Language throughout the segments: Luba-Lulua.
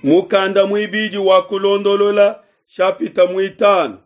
Mukanda muibidi wa Kulondolola shapita muitanu.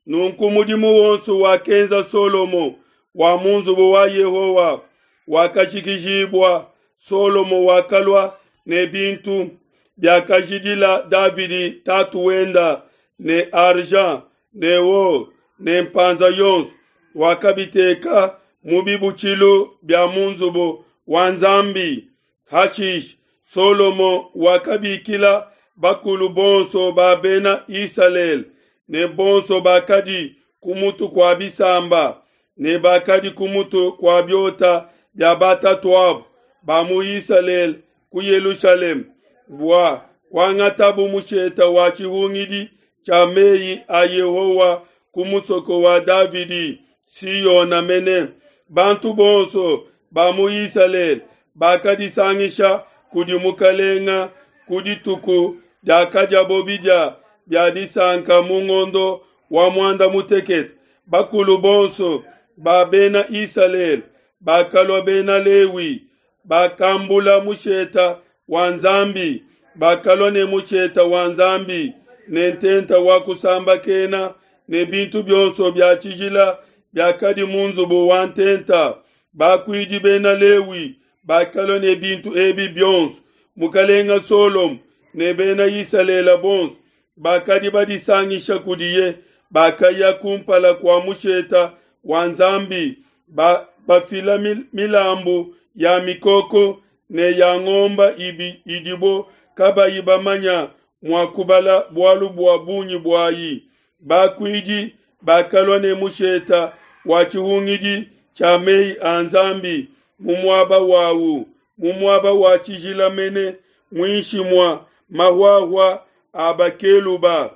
Nunku mudimu wonso wakenza Solomo wa mu nzubu wa Yehowa wakajikijibua. Solomo wakalua ne bintu biakajidila Davidi tatu wenda ne argent ne or ne mpanza yonso, wakabiteka mu bibutshilu bia mu nzubu wa Nzambi. Hashishe Solomo wakabikila bakulu bonso ba Bena Isalele ne bonso bakadi ku mutu kua bisamba ne bakadi ku mutu kua biota bia batatuabo ba mu Isalele ku Yelushalema bua kuangatabu mushete wa tshihungidi tshia mei a Yehowa ku musoko wa Davidi, Siona mene. Bantu bonso ba mu Isalele bakadisangisha kudi mukalenga ku dituku diakadiabo bidia bia disanka mu ngondo wa muanda mutekete. Bakulu bonso ba Bena Isalele bakalua Bena Lewi bakambula musheta wa Nzambi, bakalua ne musheta wa Nzambi ne ntenta wa kusambakena ne bintu bionso bia tshijila biakadi mu nzubu wa ntenta. Bakuidi bena Lewi bakalua ne bintu ebi bionso. Mukalenga Solomo ne bena Isalele bonso bakadi badisangisha kudiye bakaya kumpala kua musheta wa Nzambi ba, bafila milambu ya mikoko ne ya ngomba ibi idibo kabayi bamanya mua kubala bualu bua bungi buayi. Bakuidi bakalua ne musheta wa tshihungidi tshia mei a Nzambi mu muaba wawu, mu muaba wa tshijila mene, muinshi mua mahuahua a bakeluba.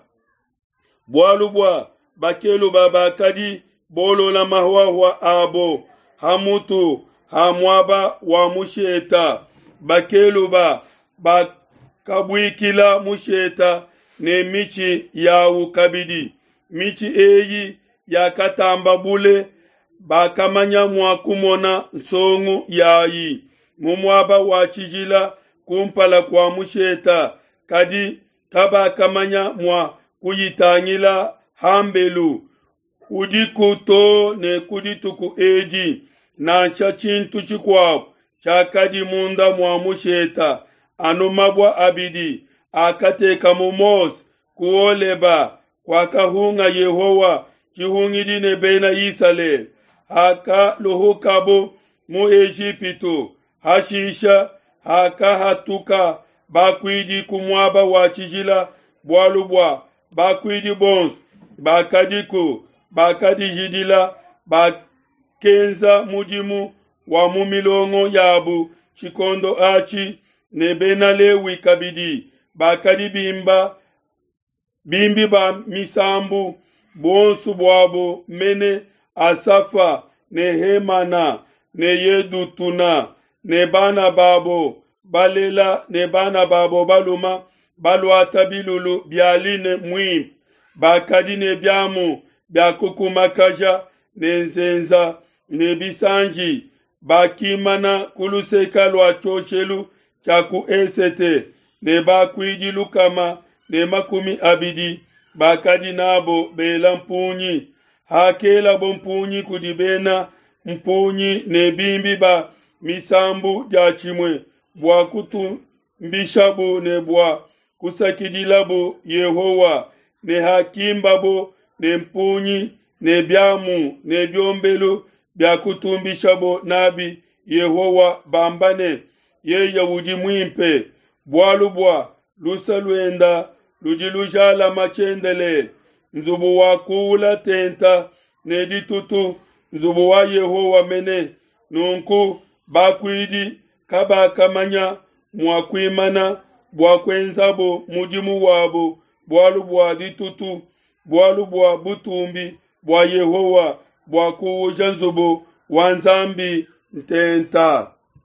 Bualu bua bakeluba bakadi bolola mahuahua abo ha mutu ha muaba wa musheta. Bakeluba bakabuikila musheta ne mitshi yawu kabidi. Mitshi eyi yakatamba bule, bakamanya mua kumona nsongu yayi mu muaba wa tshijila kumpala kua musheta, kadi kabakamanya mua kuyitangila hambelu. Udiku too ne ku dituku edi, nansha tshintu tshikuabu tshiakadi munda mua musheta, anu mabua abidi akatekamu Mose ku Holeba kuakahunga Yehowa tshihungidi ne Bena Isalele hakaluhukabo mu Ejipitu. Hashisha hakahatuka bakuidi ku muaba wa tshijila, bualu bua bakuidi bonso bakadiku bakadijidila, bakenza mudimu wa mu milongo yabo tshikondo atshi, ne Bena Lewi kabidi bakadi bimba bimbi ba misambu, buonso buabo mene Asafa ne Hemana ne Yedutuna ne bana babo balela ne bana babo baluma baluata bilulu bia line muimpe, bakadi ne biamu bia kukumakaja ne nzenza ne bisanji, bakimana ku luseka lua tshioshelu tshia ku esete ne bakuidi 120 bakadi nabo bela mpungi. Hakelabo mpungi kudi bena mpungi ne bimbi ba misambu diatshimue bua kutumbishabo ne bua kusakidilabo Yehowa, ne hakimbabo ne mpungi ne biamu ne biombelu bia kutumbishabo nabi Yehowa bamba ne, Yeye udi muimpe, bualu bua luse luenda ludi lujalama tshiendelele. Nzubu wakuula tenta ne ditutu, nzubu wa Yehowa mene. Nunku bakuidi kabakamanya mua kuimana bua kuenzabo mudimu wabo bualu bua ditutu, bualu bua butumbi bua Yehowa bua kuuja nzubu wa Nzambi ntenta.